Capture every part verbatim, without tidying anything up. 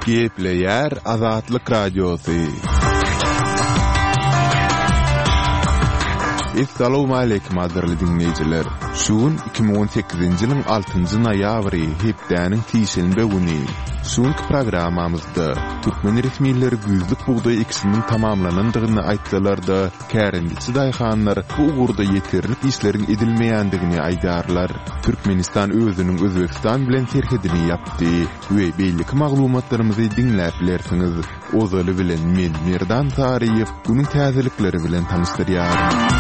Gepleýär Azatlyk Radiosy. Essalawmaleýkim gadyrly diňleýjiler! Şu gün iki müň on sekizinji ýylyň altynjy noýabry, hepdäniň sişenbe güni. Şu günki programmamyzda türkmen resmileri güýzlük bugdaý ekişiniň tamamlanandygyny aýtsalar-da, kärendeçi daýhanlar bu ugurda ýeterlik işleriň edilmeýändigini aýdýarlar. Türkmenistan özüniň Özbegistan bilen serhedini ýapdy we beýleki maglumatlarymyzy diňläp bilersiňiz. Ozaly bilen men, Merdan Saryýew, günüň täzelikleri bilen tanyşdyrýaryn.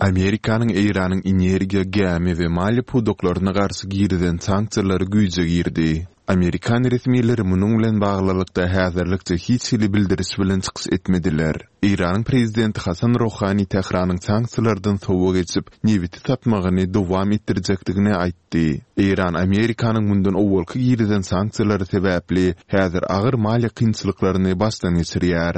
Amerikanyň Eýranyň energiýa, gämi we maliýe pudaklaryna garşy girizen sanksiýalary güýje girdi. Amerikan resmileri munuň bilen baglylykda häzirlikçe hiç hili bildiriş bilen çykyş etmediler. Eýranyň prezidenti Hasan Rohani Tähranyň sanksiýalardan sowa geçip, nebiti satmagyny dowam etdirjekdigini aýtdy. Eýran Amerikanyň mundan owalky girizen sanksiýalary sebäpli häzir agyr maliýe kynçylyklaryny başdan geçirýär.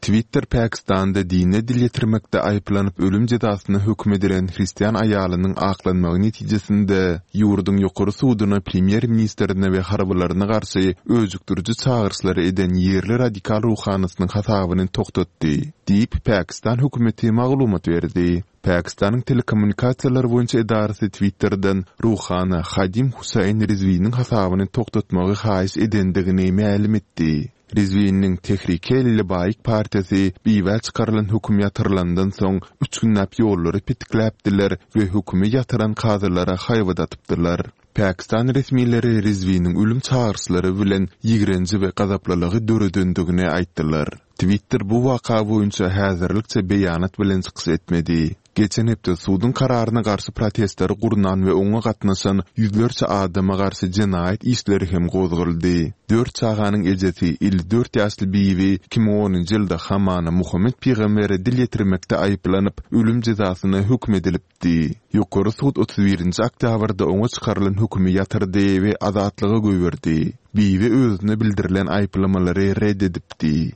Twitter Pakistanda dine dil ýetirmekde aýyplanyp ölüm jezasyna höküm edilen hristian aýalynyň aklanmagy netijesinde ýurduň ýokary suduna premýer-ministrine we harbylaryna garşy öjükdiriji çagyryşlary eden ýerli radikal ruhanysynyň hasabyny togtatdy, diýip, Pakistan hökümeti maglumat berdi. Pakistanyň telekommunikasiýalar boýunça edarasy Twitterden ruhana Hadim Husain Rizwiniň hasabyny togtatmagy haýyş edendigini mälim etdi. Rizwiniň Tehrik-e-Lebaik partiýasy biwä çykarylan höküm ýatyrylandan soň üç günläp ýollary petikläpdiler we hökümi ýatyran kazylara haýbat atypdylar. Pakistan resmileri Rizwiniň ölüm çagyryşlary bilen ýigrenji we gazaplylygy döredendigini aýtdylar. Twitter bu waka boýunça häzirlikçe beýanat bilen çykyş etmedi. Geçen hepde suduň kararyna garşy protestleri gurnan we oňa gatnaşan ýüzlerçe adama garşy jenaýat işleri hem gozgaldy. Dört çaganyň ejesi, elli dört ýaşly Bibi iki müň onunjy ýylda hamana Muhammet pygambere dil ýetirmekde aýyplanyp, ölüm jezasyna höküm edilipdi. Ýokary sud otuz birinji oktýabrda oňa çykarylan hökümi ýatyrdy we azatlyga goýberdi. Bibi özüne bildirilen aýyplamalary ret edipdi.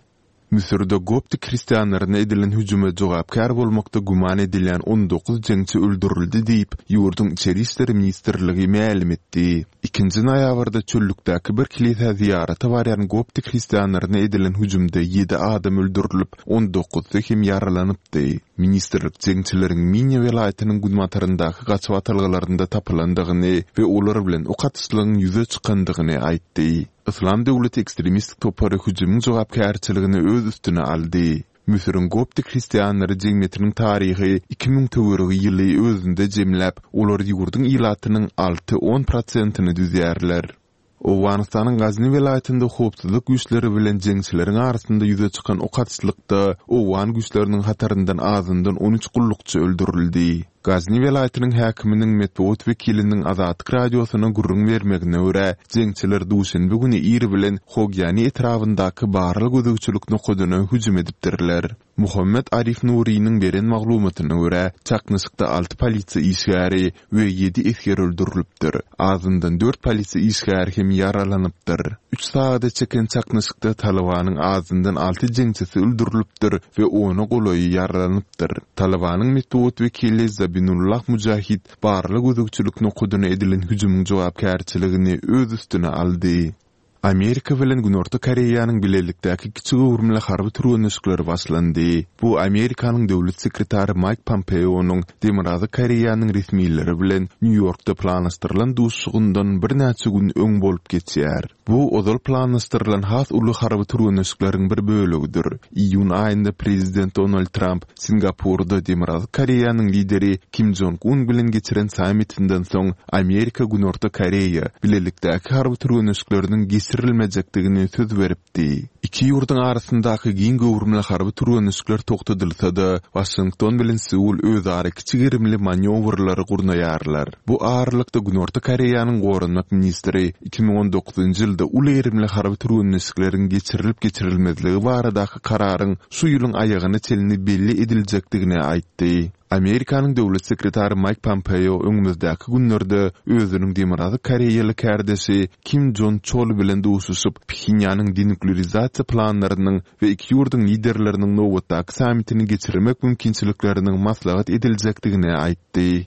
Müsürde koptik hristianlaryna edilen hüjüme jogapkär bolmakda güman edilýän on dokuz jeňçi öldürildi diýip, ýurduň Içeri işler ministrligi mälim etdi. Ikinji noýabrda çöllükdäki bir kilisä zyýarata barýan koptik hristianlaryna edilen hüjümde ýedi adam öldürilip, on dokuzsy hem ýaralanypdy. Ministrlik jeňçileriň Minýa welaýatynyň günbataryndaky gaçybatalgalarynda tapylandygyny we olar bilen ok atyşlygyň ýüze çykandygyny aýtdy. Yslam döwleti ekstremistik topary hüjümiň jogapkärçiligini öz üstüne aldy. Müsüriň koptik hristianlary jemgyýetiniň taryhy iki müň töweregi ýyly özünde jemläp, olar ýurduň ilatynyň alty-on prosentini düzýärler. Owganystanyň Gazni welaýatynda howpsuzlyk güýçleri bilen jeňçileriň arasynda ýüze çykan ok atyşlykda owgan güýçleriniň hataryndan azyndan on üç gullukçy öldürildi. Gazni welaýatynyň häkiminiň metbugat wekiliniň Azatlyk Radiosyna gürrüň bermegine görä, jeňçiler duşenbe güni ir bilen Hogyani etrabyndaky barlag-gözegçilik nokadyna hüjüm edipdirler. Muhammet Arif Nuriniň beren maglumatyna görä, çaknyşykda alty polisiýa işgäri we ýedi esger öldürilipdir. Azyndan dört polisiýa işgäri hem ýaralanypdyr. Üç sagada çeken çaknyşykda Talybanyň azyndan alty jeňçisi öldürilipdir we ona golaýy ýaralanypdyr. Talybanyň metbugat wekili Zabinullah Mujahid barlag-gözegçilik nokadyna edilen hüjümiň jogapkärçiligini öz üstüne aldy. Amerika bilen Günorta Koreýanyň bilelikdäki kiçi göwrümli harby türgenleşikleri başlandy. Bu Amerikanyň döwlet sekretary Maýk Pompeonyň Demirgazyk Koreýanyň resmileri bilen Nýu-Ýorkda planlaşdyrylan duşuşygyndan birnäçe gün öň bolup geçýär. Bu ozal planlaşdyrylan has uly harby türgenleşikleriň bir bölegidir. Iýun aýynda prezident Donald Tramp Singapurda Demirgazyk Koreýanyň lideri Kim Jong Un bilen geçiren sammitinden soň Amerika-Günorta Koreýa bilelikdäki harby türgenleşikleriniň geçirilmejekdigini söz beripdi. Iki ýurduň arasyndaky giň göwrümli harby türgenleşikler togtadylsa-da, Waşington bilen Seul özara kiçi gerimli manýowrlary gurnaýarlar. Bu aralykda Günorta Koreýanyň goranmak ministri iki müň on dokuzynjy ýylda uly gerimli harby türgenleşikleriň geçirilip-geçirilmezligi baradaky kararyň şu ýylyň aýagyna çenli belli ediljekdigini aýtdy. Amerikanyň döwlet sekretary Maýk Pompeo öňümizdäki günlerde özüniň Demirgazyk koreýaly kärdeşi Kim Jon Çol bilen duşuşyp, Phenýanyň denuklerizasiýa planlarynyň we iki ýurduň liderleriniň nobatdaky sammitini geçirmek mümkinçilikleriniň maslahat ediljekdigini aýtdy.